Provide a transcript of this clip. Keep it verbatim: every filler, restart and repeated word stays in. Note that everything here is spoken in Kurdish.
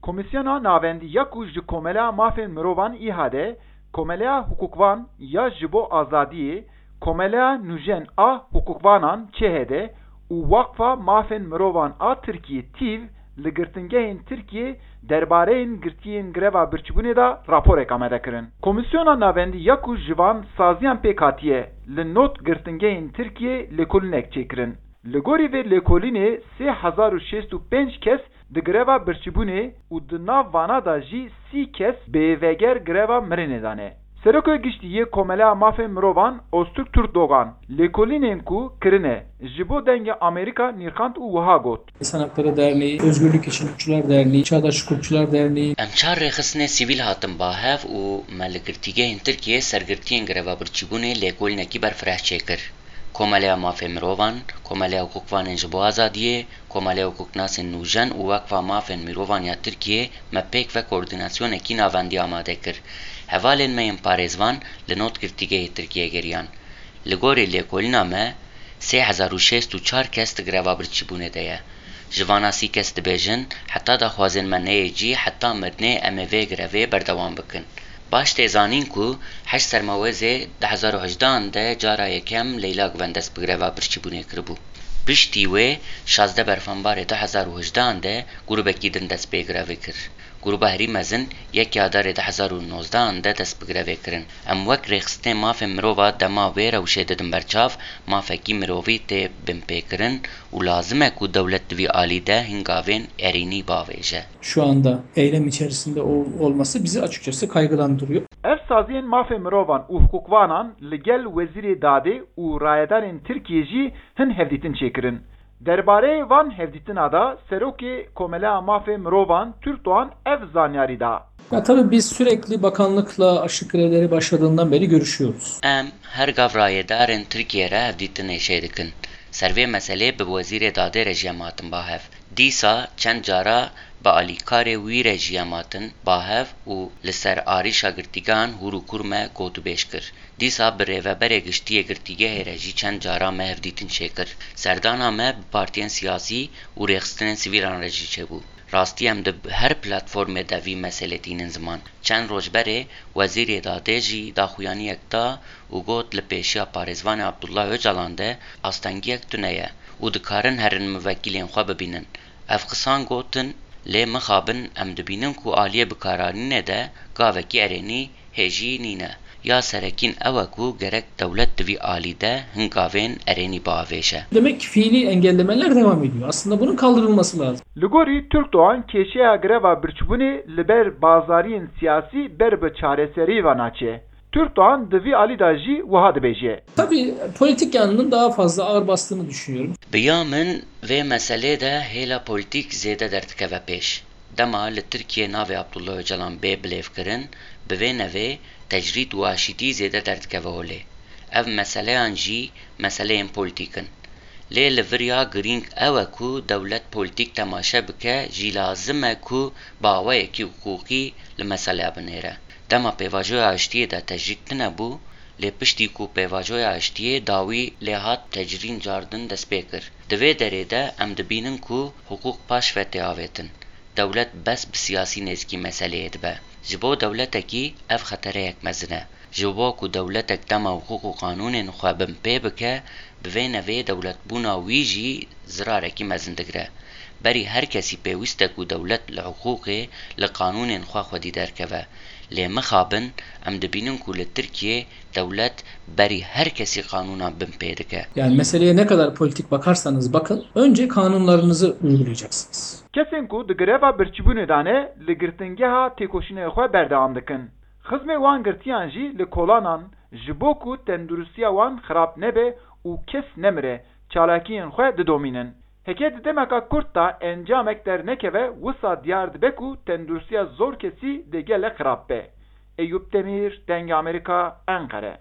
Komîsyona Navendî ya ku ji Komeleya Mafên Mirovan, İHA'de, Komeleya Hukukvan ya ji bo Azadiyê, Komeleya Nûjen a Hukukvanan, ÇHD, û Waqfa Mafên Mirovan a Tirkiyê, TÎV, li girtingehên Tirkiyê derbareyên girtiyên greva birçîbûnê de raporek amade kirin. Komîsyona Navendî ya ku ji van saziyan pêk hatiye, li nod girtingehên Tirkiyê lêkolînek çêkirin. Li gorî vê lêkolînê sê hezar û şêst û pênc kes di greva birçîbûnê û di nav vana de jî sî kes bêveger greva mirinê de ne. Serokê Giştî yê Komeleya Mafên Mirovan Öztürk Türkdoğan, lêkolînên ku kirine ji bo Dengê Amerîka nirxand û wiha got: İnsan Hakları Derneği, Özgürlük İçin Hukukçular Derneği, Çağdaş Hukukçular Derneği. Em çar rêxistinê sivîl hatin ba hev û me li girtîgehên Tirkiyê ser girtiyên greva birçîbûnê lêkolînekî berfireh çêkir. Komeleya Mafê Mirovan, Komeleya Hukukvanên ji bo Azadiyê, Komeleya Hukuknasên Nûjen û Weqfa Mafên Mirovan ya Tirkiyê me pêk ve koordînasyonekî navendî amade kir. Hevalên me yên parêzvan li nod girtîgehê Tirkiyê geriyan. Li gorî lêkolîna me, sê hezar û şêst û çar kes di greva birçîbûnê de ye. Ji vana sî kes dibêjin, heta daxwazên me neyê cî, heta mirinê em ê vê grevê berdewam bikin. Baş tê zanîn ku heşt Sermewêzê du hezar û hejdehan de cara yekem Leyla Guven dest bi greva birçîbûnê kiribû. Piştî wê, şazdeh Berfanbarê du hezar û hejdehan de grûbekî din dest pê grevê kir. Grûba herî mezin yekê Adarê du hezar û nozdehan de dest bi grevê kirin. Em wek rêxistinên mafên mirova dema wê rewşê didin ber çav, mafekî mirovî tê binpêkirin û lazim e ku dewlet di vî alî de hingavên erênî bavêje. Şu anda eylem içerisinde ol- olması bizi açıkçası kaygılandırıyor. Ev saziyên mafê mirovan û hukukvanan li gel Wezîrê Dadê û rayedarên Tirkiyê jî hin hevdîtin çêkirin. Derbareyê van hevdîtina de Serokê Komeleya Mafê Mirovan Türk Doğan ev zanyarî da. Ya tabii biz sürekli bakanlıkla aşık grevleri başladığından beri görüşüyoruz. Em her gav rayedarên Tirkiyê re hevdîtinê çêdikin. Ser vê meselê bi Wezîrê Dadê re jî em hatin ba hev. Dîsa çend cara bi alîkarê wî re jî em hatin ba hev û li ser arîşa girtîgan hûr û kûr me gotûbêj kir. Dîsa bi rêveberê giştî yê girtîgehê re jî çend cara me hevdîtin çêkir. Serdana me bi partiyên siyasî û rêxistinên sivîlan re jî çêbû. Rastî em di her platformê de vî meselê tînin ziman. Çend roj berê Wezîrê Dadê jî daxuyaniyek da û got li pêşiya parêzvanê Abdullah Ocalan de astengiyek tune ye û dikarin herin mivekîlên xwe bibînin. Ev qisan gotin, lê mixabin em dibînin ku aliyê bikaranînê de gavekî erênî hêjî nîne. Ya serekîn ew e ku gerek dewlet di vî alî de hin gavên erênî biavêje. Demek ki fiili engellemeler devam ediyor. Aslında bunun kaldırılması lazım. Li gorî Türk Doğan kêşeya greva birçîbûnê li ber bazariyên siyasî ber bi çareserî ve naçe. Türk Doğan di vî alî de jî wiha dibêje. Tabii politik yanının daha fazla ağır bastığını düşünüyorum. Bi ya min vê meselê de hêla polîtîk zêde derdikeve pêş. Dema li Tirkiyê navê Abdullah Ocalan bê bilêvkirin, bi vê nevê tecrîd û aşîtî zêde derdikeve holê. Ev meseleyan jî meseleyên polîtîk in. Lê li vir ya girîng ew e ku dewlet polîtîk temaşe bike, jî lazim e ku bi awayekî hiqûqî li meseleya binêre. Dema pêvajoya aştiyê de tecrîd tune bû, lê piştî ku pêvajoya aştiyê dawî lê hat tecrîn cardin dest pê kir. Di vê derê de em dibînin ku hiqûq paş ve tê avêtin. Dewlet bes bi siyasî nêzikî meseleyê dibe. Ji bo dewletekî ev xetereyek mezin e. Ji bo ku dewletek dema hiqûq û qanûnên xwe binpê bike, bi vê nevê dewletbûna wî jî zirarekî mezin digire. Berî her kesî pêwîst e ku dewlet li hiqûqê, li qanûnên xwe xwedî derkeve. Lê mixabin, em dibînin ku li Tirkiyê dewlet berî her kesî qanûnan binpê dike. Yani meseleye ne kadar politik bakarsanız bakın, önce kanunlarınızı uygulayacaksınız. Kesên ku di greva birçîbûnê de ne, li girtingeha têkoşînê xwe berdewam dikin. Xizmê wan girtiyan jî li kolanan, ji bo ku tenduristiya wan xirab nebe û kes nemire, çalakiyên xwe didomînin. Heke di demeka kurt de encamek dernekeve, wisa diyar dibe ku tenduristiya zor kesî dê gelek xirab be. Eyûp Demîr, Dengê Amerîka, Enqere.